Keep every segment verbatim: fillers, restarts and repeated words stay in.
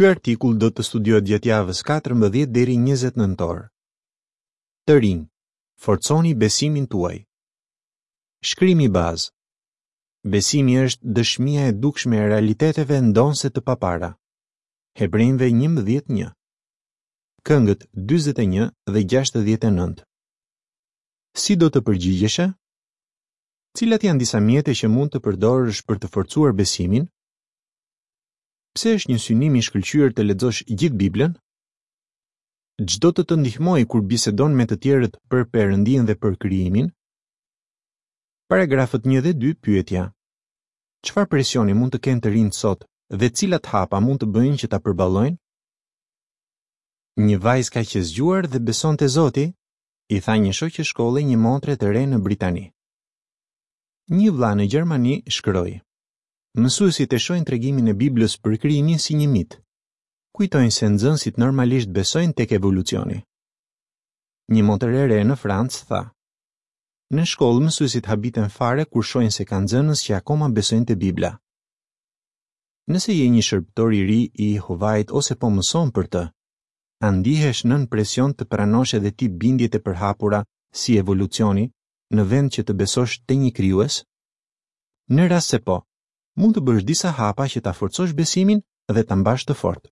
Ky artikull do të studiohet gjatë javës katërmbëdhjetë deri njëzet nëntor. Të rinj, forconi besimin tuaj. Shkrimi bazë. Besimi është dëshmia e dukshme e realiteteve ndonëse të papara. Hebrenjve njëmbëdhjetë një. Këngët dyzet e një dhe gjashtëdhjetë e nëntë. Si do të përgjigjeshe? Cilat janë disa mjete që mund të përdorësh për të forcuar besimin? Pse është një synim i shkëlqyer të lexosh gjithë Biblën? Ç'do të të ndihmojë kur bisedon me të tjerët për Perëndinë dhe për krijimin? Paragrafët një dhe dy, pyetja. Çfarë presioni mund të kenë të rinjtë sot dhe cilat hapa mund të bëjnë që ta përballojnë? Një vajzë kaq e zgjuar dhe beson te Zoti, i tha një shoqe shkolle një motre të re në Britani. Një vlla në Gjermani shkroi: Mësuesit e shohin tregimin e Biblës për krijimin si një mit. Kujtojnë se nxënësit normalisht besojnë tek evolucioni. Një motër e re në Francë tha: Në shkollë mësuesit habiten fare kur shohin se ka nxënës që akoma besojnë te Bibla. Nëse je një shërbëtor i ri i Jehovait ose po mëson për të, a ndihesh nën presion të pranosh edhe ti bindjet e përhapura si evolucioni në vend që të besosh te një krijues? Në rast se po, mund të bësh disa hapa që ta forcosh besimin dhe ta mbash të fortë.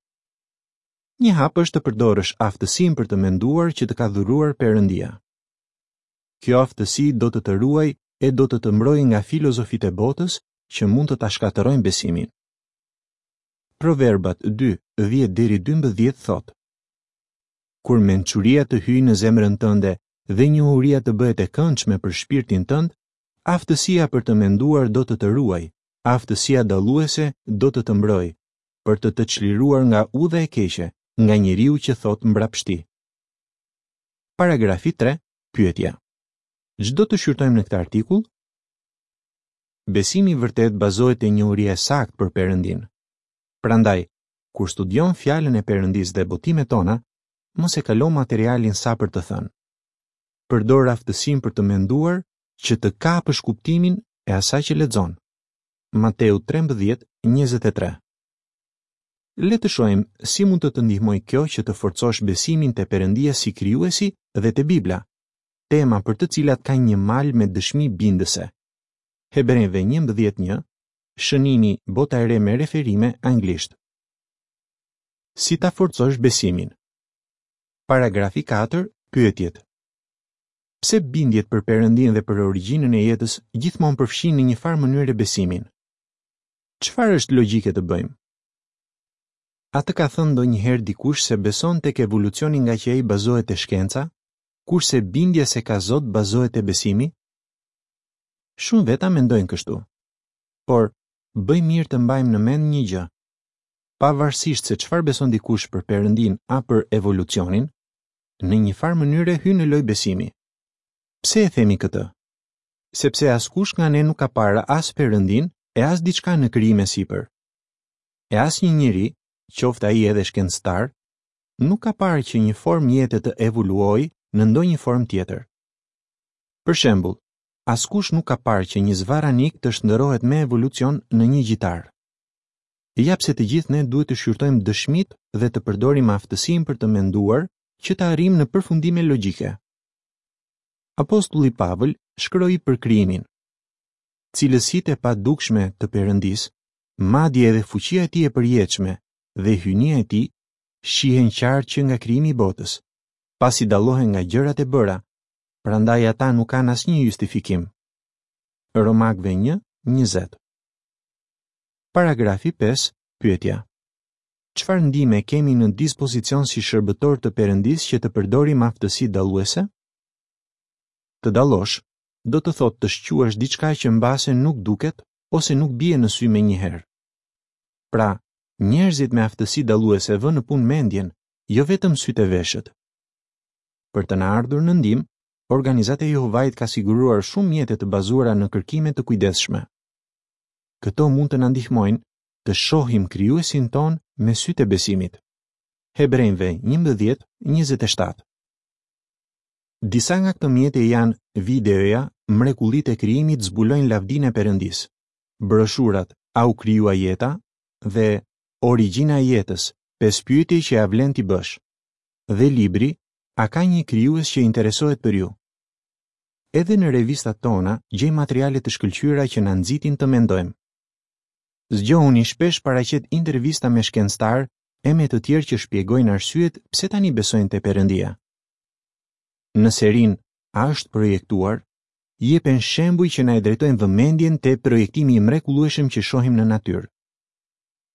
Një hap është të përdorësh aftësinë për të menduar që të ka dhuruar Perëndia. Kjo aftësi do të të ruajë e do të të mbrojë nga filozofitë e botës që mund të ta shkatërrojnë besimin. Proverbat dy, dhjetë deri dymbëdhjetë thotë: Kur mençuria të hyjë në zemrën tënde dhe njohuria të bëhet e këndshme për shpirtin tënd, aftësia për të menduar do të të ruajë, aftësia dalluese do të të mbrojë, për të të çliruar nga udha e keqe, nga njeriu që thot mbrapshti. Paragrafi tre, pyetja. Ç'do të shqyrtojmë në këtë artikull? Besimi i vërtet bazohet te njohuria e saktë për Perëndin. Prandaj, kur studion fjalën e Perëndisë dhe botimet tona, mos e kalo materialin sa për të thënë. Përdor aftësinë për të menduar që të kapësh kuptimin e asaj që lexon. Mateu trembëdhjetë, njëzet e tre. Le të shohim si mund të të ndihmojë kjo që të forcosh besimin te Perëndia si krijuesi dhe te Bibla, tema për të cilat ka një mal me dëshmi bindëse. Hebrenjve njëmbëdhjetë një, shënimi Bota e re me referime anglisht. Si ta forcosh besimin? Paragrafi katër, pyetjet. Pse bindjet për Perëndin dhe për origjinën e jetës gjithmonë përfshijnë në një farë mënyre besimin? Çfarë është logjike të bëjmë? A të ka thënë ndonjëherë dikush se beson tek evolucioni nga që ai bazohet te shkenca, kurse bindja se ka Zot bazohet te besimi? Shumë veta mendojnë kështu. Por, bëj mirë të mbajmë në mend një gjë. Pavarësisht se çfarë beson dikush për Perëndin a për evolucionin, në një farë mënyre hyn në lojë besimi. Pse e themi këtë? Sepse askush nga ne nuk ka parë as Perëndin e as diçka në krijim e sipër. E asnjë njeri, qoftë ai edhe shkencëtar, nuk ka parë që një formë jete të evoluojë në ndonjë formë tjetër. Për shembull, askush nuk ka parë që një zvaranik të shndërrohet me evolucion në një gjitar. Ja pse të gjithë ne duhet të shqyrtojmë dëshmitë dhe të përdorim aftësinë për të menduar që të arrijmë në përfundime logjike. Apostulli Pavël shkroi për krijimin. Cilësitë e padukshme të Perëndisë, madje edhe fuqia e tij e përjetshme dhe hyjnia e tij, shihen qartë që nga krijimi i botës, pasi dallohen nga gjërat e bëra, prandaj ata nuk kanë asnjë justifikim. Romakëve një, njëzet. Paragrafi pesë, pyetja. Çfarë ndihme kemi në dispozicion si shërbëtor të Perëndisë që të përdorim aftësi dalluese? Të dallosh do të thotë të shquash diçka që mbase nuk duket ose nuk bie në sy menjëherë. Pra, njerëzit me aftësi dalluese vënë në punë mendjen, jo vetëm sytë e veshët. Për të na ardhur në ndihmë, organizata e Jehovait ka siguruar shumë mjete të bazuara në kërkime të kujdesshme. Këto mund të na ndihmojnë të shohim krijuesin ton me sytë e besimit. Hebrenjve njëmbëdhjetë, njëzet e shtatë. Disa nga këto mjete janë videoja Mrekullitë e krijimit zbulojnë lavdinë e Perëndisë, broshurat A u krijua jeta dhe Origjina e jetës, Pesë pyetje që ia vlen t'i bësh dhe libri A ka një krijues që interesohet për ju? Edhe në revistat tona gjejmë materiale të shkëlqyera që na nxitin të mendojmë. Zgjohuni shpesh paraqet intervista me shkencëtarë e me të tjerë që shpjegojnë arsyet pse tani besojnë te Perëndia. Në serinë A është projektuar, jepen shembuj që na e drejtojnë vëmendjen te projektimi i mrekullueshëm që shohim në natyrë.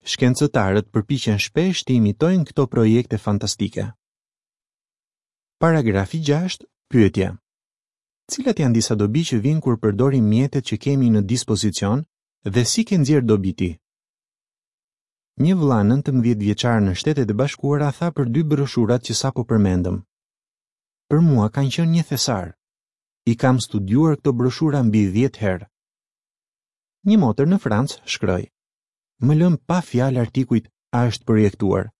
Shkencëtarët përpiqen shpesh të imitojnë këto projekte fantastike. Paragrafi gjashtë, pyetja. Cilat janë disa dobi që vijnë kur përdorim mjetet që kemi në dispozicion dhe si ke nxjerrë dobi ti? Një vëlla nëntëmbëdhjetë vjeçar në Shtetet e Bashkuara tha për dy broshurat që sapo përmendëm. Për mua kanë qenë një thesar. I kam studiuar këto broshura mbi dhjetë herë. Një motër në Francë shkroi: Më lënë pa fjalë artikujt A është projektuar.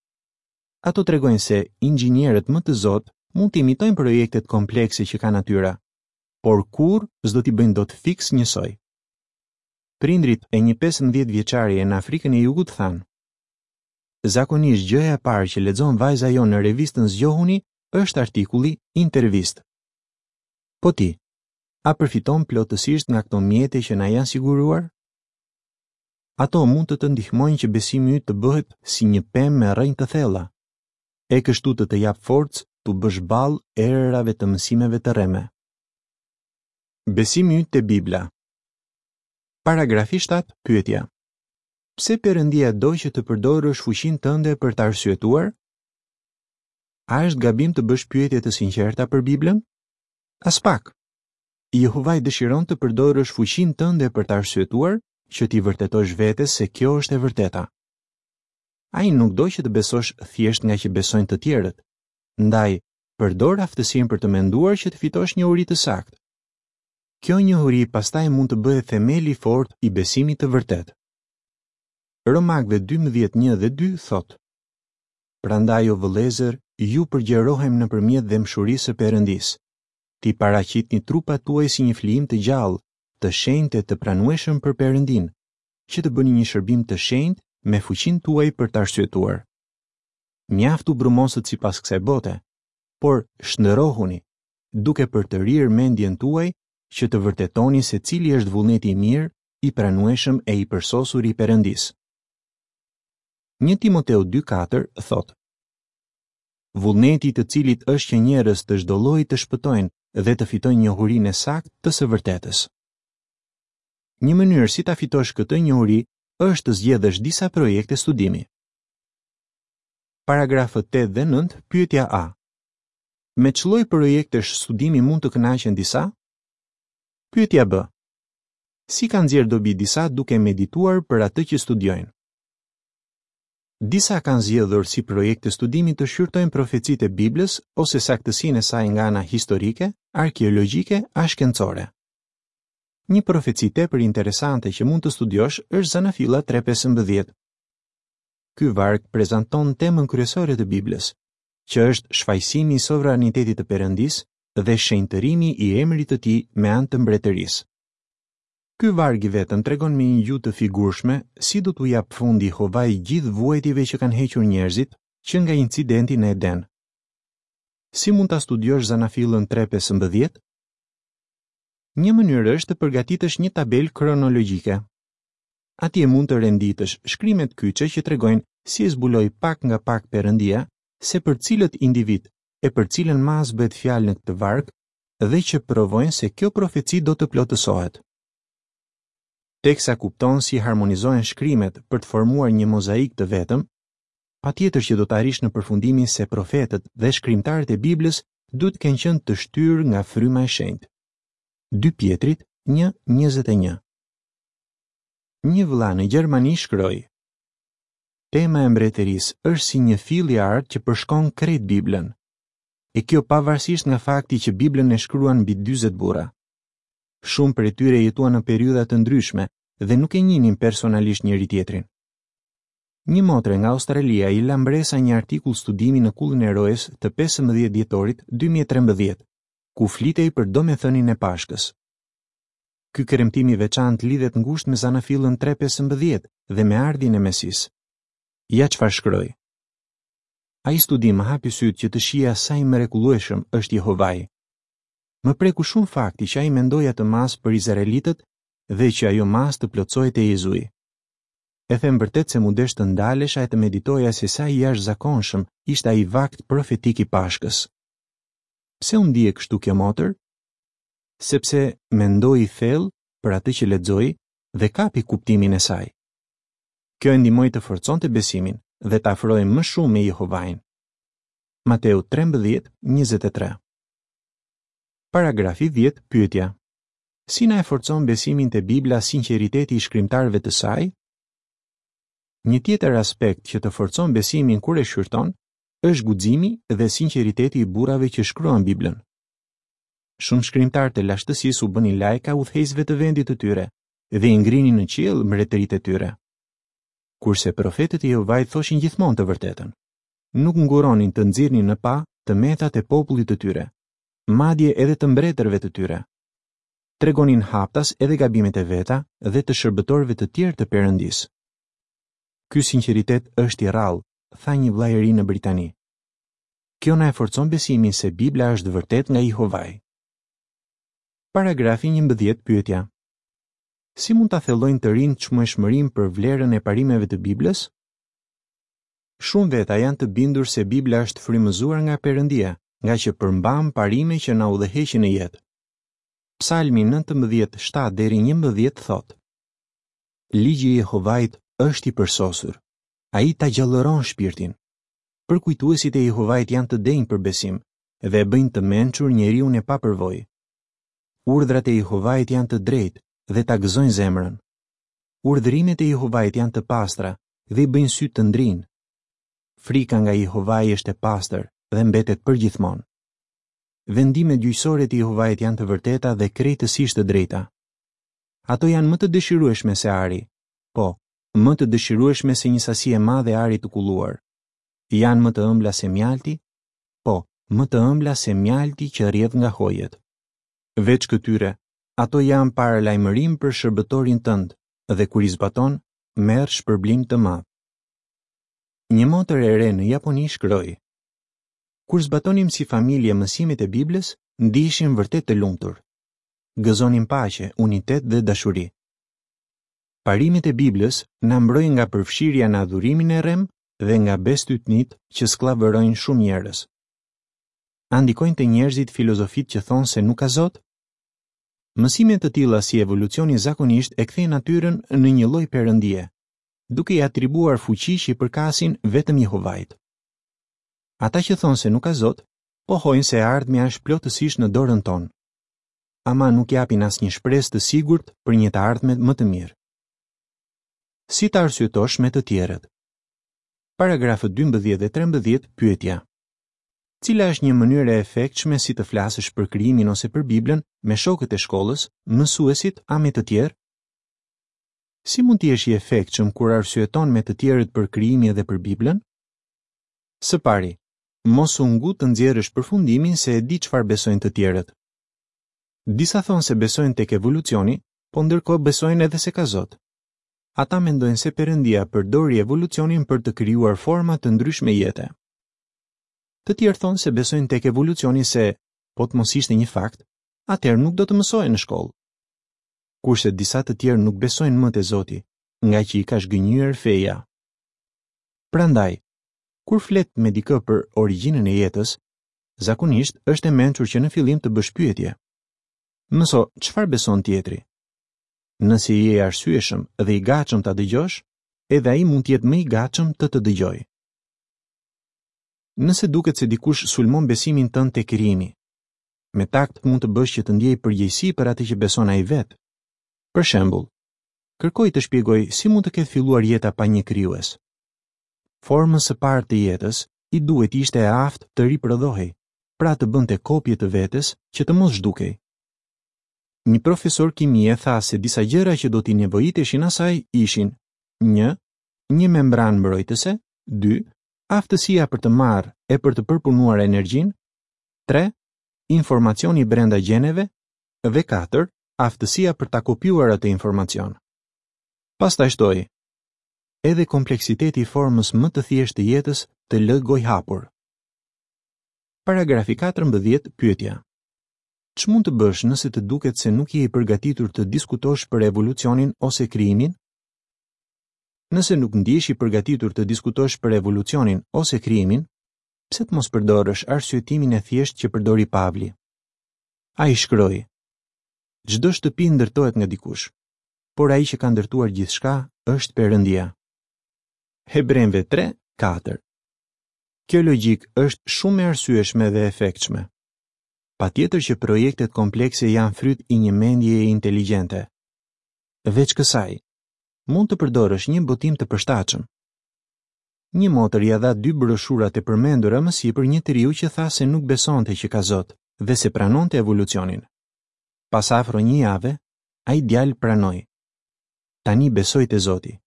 Ato tregojnë se inxhinierët më të zotë mund të imitojnë projektet komplekse që ka natyra, por kurrë s'do t'i bëjnë dot fiks njësoj. Prindrit e një pesëmbëdhjetë vjeçareje në Afrikën e Jugut thanë: Zakonisht gjëja e parë që lexon vajza jonë në revistën Zgjohuni është artikulli Intervistë. Po ti, a përfiton plotësisht nga këto mjete që na janë siguruar? Ato mund të të ndihmojnë që besimi yt të bëhet si një pemë me rrënjë të thella, e kështu të të japë forcë t'u bësh ballë erërave të mësimeve të rreme. Besimi yt te Bibla. Paragrafi shtatë, pyetja. Pse Perëndia do që të përdorësh fuqinë tënde për të arsyetuar? A është gabim të bësh pyetje të sinqerta për Biblën? Aspak. Jehovai dëshiron të përdorësh fuqinë tënde për të arsyetuar, që t'i vërtetosh vetes se kjo është e vërteta. Ai nuk do që të besosh thjesht nga që besojnë të tjerët. Ndaj, përdor aftësinë për të menduar që të fitosh njohuri të saktë. Kjo njohuri pastaj mund të bëhet themeli i fortë i besimit të vërtetë. Romakëve dymbëdhjetë një dhe dy thotë: Prandaj o vëllezër, ju përgjerohem nëpërmjet dhembshurisë së Perëndisë. Ti paraqitni trupat tuaj si një flijim të gjallë, të shenjtë e të pranueshëm për Perëndin, që të bëni një shërbim të shenjtë me fuqinë tuaj për të arsyetuar. Mjaft u brumosët sipas kësaj bote, por shndërrohuni, duke përtërirë mendjen tuaj që të vërtetoni se cili është vullneti i mirë, i pranueshëm e i përsosur i Perëndisë. Një Timoteu dy katër thotë: Vullneti i të cilit është që njerëz të çdo lloji të shpëtojnë dhe të fitojnë njohurinë e saktë të së vërtetës. Një mënyrë si ta fitosh këtë njohuri është të zgjedhësh disa projekte studimi. Paragrafët tetë dhe nëntë, pyetja A. Me ç'lloj projektesh studimi mund të kënaqen disa? Pyetja B. Si kanë nxjerrë dobi disa duke medituar për atë që studiojnë? Disa kanë zgjedhur si projekte studimi të shqyrtojnë profecitë e Biblës ose saktësinë e saj nga ana historike, arkeologjike a shkencore. Një profeci tepër interesante që mund të studiosh është Zanafilla tre pesëmbëdhjetë. Ky varg prezanton temën kryesore të Biblës, që është shfajësimi i sovranitetit të Perëndisë dhe shenjtërimi i emrit të tij me anë të mbretërisë. Ky varg i vetëm tregon me një gjuhë të figurshme si do t'u jap fundi Jehovai gjithë vuajtjeve që kanë hequr njerëzit që nga incidenti në Eden. Si mund ta studiosh Zanafillën tre pesëmbëdhjetë? Një mënyrë është të përgatitësh një tabelë kronologjike. Atje mund të renditësh shkrimet kyçe që tregojnë si e zbuloi pak nga pak Perëndia se për cilët individ e për cilën masë bëhet fjalë në këtë varg dhe që provojnë se kjo profeci do të plotësohet. Teksa kupton si harmonizohen shkrimet për të formuar një mozaik të vetëm, patjetër që do të arrish në përfundimin se profetët dhe shkrimtarët e Biblës duhet të kenë qenë të shtyrë nga fryma e shenjtë. Dy Pjetrit një njëzet e një. Një vëlla në Gjermani shkroi: Tema e mbretërisë është si një fill i artë që përshkon krejt Biblën. E kjo pavarësisht nga fakti që Biblën e shkruan mbi dyzet burra. Shumë prej tyre jetuan në periudha të ndryshme dhe nuk e njihnin personalisht njëri tjetrin. Një motre nga Australia i la mbresa një artikull studimi në Kullën e Rojës të pesëmbëdhjetë dhjetorit dy mijë e trembëdhjetë, ku flitej për domethënien e Pashkës. Ky kremtim i veçantë lidhet ngushtë me Zanafillën tre pesëmbëdhjetë dhe me ardhjen e Mesisë. Ja çfarë shkroi. Ai studim më hapi sytë që të shihja sa i mrekullueshëm është Jehovai. Më preku shumë fakti që ai mendoi atë masë për izraelitët dhe që ajo masë të plotësohej te Jezui. E them vërtet se m'u desh të ndalesha e të meditoja se sa i jashtëzakonshëm ishte ai vakt profetik i Pashkës. Pse u ndie kështu kjo motër? Sepse mendoi thellë për atë që lexoi dhe kapi kuptimin e saj. Kjo e ndihmoi të forconte besimin dhe të afrohej më shumë me Jehovain. Mateu trembëdhjetë, njëzet e tre. Paragrafi dhjetë, pyetja. Si na e forcon besimin te Bibla sinqeriteti i shkrimtarëve të saj? Një tjetër aspekt që të forcon besimin kur e shqyrton është guximi dhe sinqeriteti i burrave që shkruan Biblën. Shumë shkrimtarë të lashtësisë u bënin lajka udhëheqësve të vendit të tyre dhe i ngrinin në qiell mbretëritë e tyre. Kurse profetët e Jehovait thoshin gjithmonë të vërtetën. Nuk nguronin të nxirrnin në pah të metat e popullit të tyre, madje edhe të mbretërve të tyre. Tregonin haptas edhe gabimet e veta dhe të shërbëtorëve të tjerë të Perëndisë. Ky sinqeritet është i rrallë, tha një vëlla i ri në Britani. Kjo na e forcon besimin se Bibla është vërtet nga Jehovai. Paragrafi njëmbëdhjetë, pyetja. Si mund ta thellojnë të rinjtë çmueshmërinë për vlerën e parimeve të Biblës? Shumë veta janë të bindur se Bibla është frymëzuar nga Perëndia, nga që përmban parime që na udhëheqin në jetë. Psalmi nëntëmbëdhjetë, shtatë deri njëmbëdhjetë thotë: Ligji i Jehovait është i përsosur. Ai ta gjallëron shpirtin. Përkujtuesit e Jehovait janë të denjë për besim dhe e bëjnë të mençur njeriun e papërvojë. Urdhrat e Jehovait janë të drejtë dhe ta gëzojnë zemrën. Urdhërimet e Jehovait janë të pastra dhe i bëjnë sytë të ndrijnë. Frika nga Jehovai është e pastër dhe mbetet përgjithmonë. Vendimet gjyqësore të Jehovait janë të vërteta dhe krejtësisht të drejta. Ato janë më të dëshirueshme se ari, po, më të dëshirueshme se një sasi e madhe e arit të kulluar. Janë më të ëmbla se mjalti, po, më të ëmbla se mjalti që rrjedh nga hojet. Veç këtyre, ato janë paralajmërim për shërbëtorin tënd dhe kur i zbaton, merr shpërblim të madh. Një motër e re në Japoni shkroi: Kur zbatonim si familje mësimet e Biblës, ndiheshim vërtet të lumtur. Gëzonim paqe, unitet dhe dashuri. Parimet e Biblës na mbrojnë nga përfshirja në adhurimin e rrem dhe nga bestytnit që skllavërojnë shumë njerëz. A ndikojnë te njerëzit filozofitë që thonë se nuk ka Zot? Mësime të tilla si evolucioni zakonisht e kthejnë natyrën në një lloj perëndie, duke i atribuar fuqi që i përkasin vetëm Jehovait. Ata që thonë se nuk ka Zot, pohojnë se e ardhmja është plotësisht në dorën tonë. Ama nuk japin asnjë shpresë të sigurt për një të ardhme më të mirë. Si ta arsyetosh me të tjerët? Paragrafët dymbëdhjetë dhe trembëdhjetë, pyetja. Cila është një mënyrë e efektshme si të flasësh për krijimin ose për Biblën me shokët e shkollës, mësuesit a me të tjerë? Si mund të jesh i efektshëm kur arsyeton me të tjerët për krijimin dhe për Biblën? Së pari, mos u ngut të nxjerrësh përfundimin se e di çfarë besojnë të tjerët. Disa thonë se besojnë tek evolucioni, po ndërkohë besojnë edhe se ka Zot. Ata mendojnë se Perëndia përdori evolucionin për të krijuar forma të ndryshme jete. Të tjerë thonë se besojnë tek evolucioni se, po të mos ishte një fakt, atëherë nuk do të mësohen në shkollë. Kurse disa të tjerë nuk besojnë më te Zoti, nga që i ka zhgënjyer feja. Prandaj, kur flet me dikë për origjinën e jetës, zakonisht është e mençur që në fillim të bësh pyetje. Mëso çfarë beson tjetri. Nëse je i arsyeshëm dhe i gatshëm ta dëgjosh, edhe ai mund të jetë më i gatshëm të të dëgjojë. Nëse duket se dikush sulmon besimin tënd te krijimi, me takt mund të bësh që të ndjejë përgjegjësi për atë që beson ai vetë. Për shembull, kërkoj të shpjegoj si mund të ketë filluar jeta pa një krijues. Formës së parë të jetës i duhet ishte e aftë të riprodhohej, pra të bënte kopje të vetes që të mos zhdukej. Një profesor kimie tha se disa gjëra që do t'i nevojiteshin asaj ishin: një, një membranë mbrojtëse, dy, aftësia për të marrë e për të përpunuar energjinë, tre, informacioni brenda gjeneve dhe katër, aftësia për ta kopjuar atë informacion. Pastaj shtoi: Edhe kompleksiteti i formës më të thjeshtë të jetës të lë gojëhapur. Paragrafi katërmbëdhjetë, pyetja. Ç'mund të bësh nëse të duket se nuk je i përgatitur të diskutosh për evolucionin ose krijimin? Nëse nuk ndihesh i përgatitur të diskutosh për evolucionin ose krijimin, pse të mos përdorësh arsyetimin e thjeshtë që përdori Pavli? Ai shkroi: Çdo shtëpi ndërtohet nga dikush, por ai që ka ndërtuar gjithçka është Perëndia. Hebrenjve tre, katër. Kjo logjikë është shumë e arsyeshme dhe e efektshme. Patjetër që projektet komplekse janë fryt i një mendjeje inteligjente. Veç kësaj, mund të përdorësh një botim të përshtatshëm. Një motër ia dha dy broshurat e përmendura më sipër një të riu që tha se nuk besonte që ka Zot dhe se pranonte evolucionin. Pas afro një jave, ai djalë pranoi. Tani besoj te Zoti.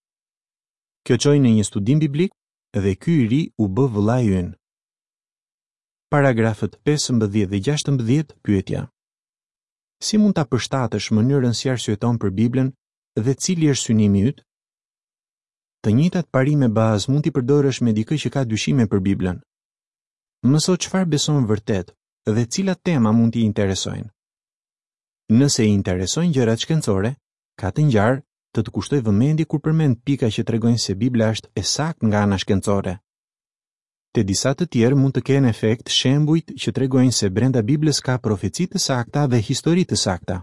Kjo çoi në një studim biblik dhe ky i ri u bë vëllai ynë. Paragrafët pesëmbëdhjetë dhe gjashtëmbëdhjetë, pyetja. Si mund ta përshtatësh mënyrën si arsyeton për Biblën dhe cili është synimi yt? Të njëjtat parime bazë mund t'i përdorësh me dikë që ka dyshime për Biblën. Mëso çfarë beson vërtet dhe cilat tema mund t'i interesojnë. Nëse i interesojnë gjërat shkencore, ka të ngjarë të të kushtojë vëmendje kur përmend pika që tregojnë se Bibla është e saktë nga ana shkencore. Te disa të tjerë mund të kenë efekt shembujt që tregojnë se brenda Biblës ka profeci të sakta dhe histori të sakta.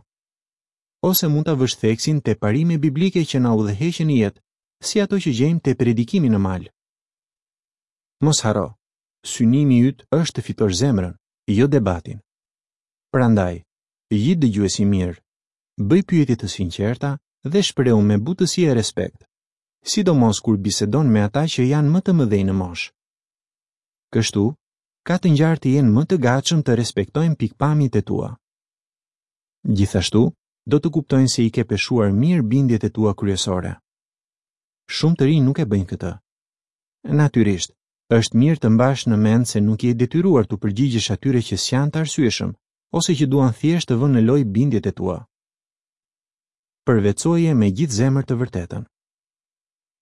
Ose mund ta vësh theksin te parime biblike që na udhëheqin në jetë, si ato që gjejmë te predikimi në mal. Mos harro, synimi yt është të fitosh zemrën, jo debatin. Prandaj, ji dëgjues i mirë, bëj pyetje të sinqerta dhe shprehu me butësi e respekt, sidomos kur bisedon me ata që janë më të mëdhenj në moshë. Kështu, ka të ngjarë të jenë më të gatshëm të respektojnë pikpamjet e tua. Gjithashtu, do të kuptojnë se i ke peshuar mirë bindjet e tua kryesore. Shumë të rinj nuk e bëjnë këtë. Natyrisht, është mirë të mbash në mend se nuk je i detyruar t'u përgjigjesh atyre që s'janë të arsyeshëm ose që duan thjesht të vënë në lojë bindjet e tua. Përvetësoje me gjithë zemër të vërtetën.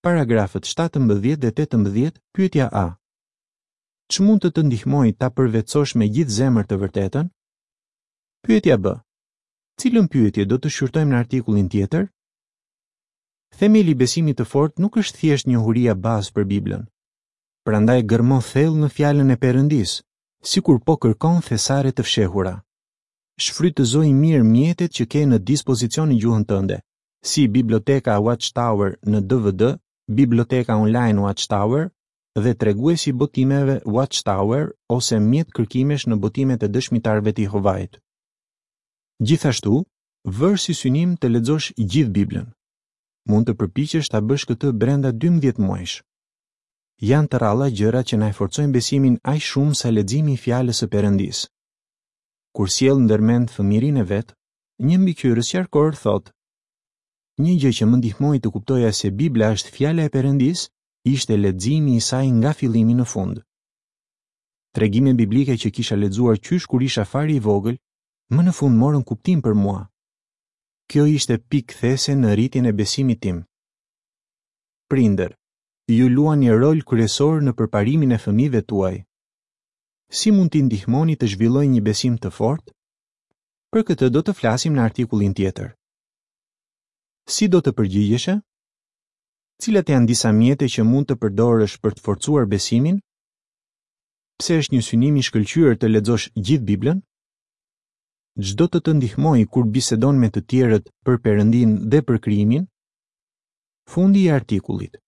Paragrafët shtatëmbëdhjetë dhe tetëmbëdhjetë, pyetja A. Ç'mund të të ndihmojë ta përvetësosh me gjithë zemër të vërtetën? Pyetja B. Cilën pyetje do të shqyrtojmë në artikullin tjetër? Themeli i besimit të fortë nuk është thjesht njohuria bazë për Biblën. Prandaj gërmo thellë në fjalën e Perëndisë, sikur po kërkon thesare të fshehura. Shfrytëzoi mirë mjetet që ke në dispozicion në gjuhën tënde, si Biblioteka Watchtower në D V D, Biblioteka Online Watchtower dhe treguesi i botimeve Watchtower ose mjet kërkimesh në botimet e dëshmitarëve të Jehovait. Gjithashtu, vër si synim të lexosh gjithë Biblën. Mund të përpiqesh ta bësh këtë brenda dymbëdhjetë muajsh. Janë të rralla gjërat që na e forcojnë besimin aq shumë sa leximi i fjalës së Perëndisë. Kur sjell ndërmend fëmijërinë e vet, një mbikëqyrës qarkor thotë: Një gjë që më ndihmoi të kuptoja se Bibla është fjala e Perëndisë ishte leximi i saj nga fillimi në fund. Tregime biblike që kisha lexuar qysh kur isha fare i vogël, më në fund morën kuptim për mua. Kjo ishte pikë kthese në rritjen e besimit tim. Prindër, ju luani një rol kryesor në përparimin e fëmijëve tuaj. Si mund t'i ndihmoni të zhvillojnë një besim të fortë? Për këtë do të flasim në artikullin tjetër. Si do të përgjigjeshe? Cilat janë disa mjete që mund të përdorësh për të forcuar besimin? Pse është një synim i shkëlqyer të lexosh gjithë Biblën? Ç'do të të ndihmojë kur bisedon me të tjerët për Perëndin dhe për krijimin? Fundi i artikullit.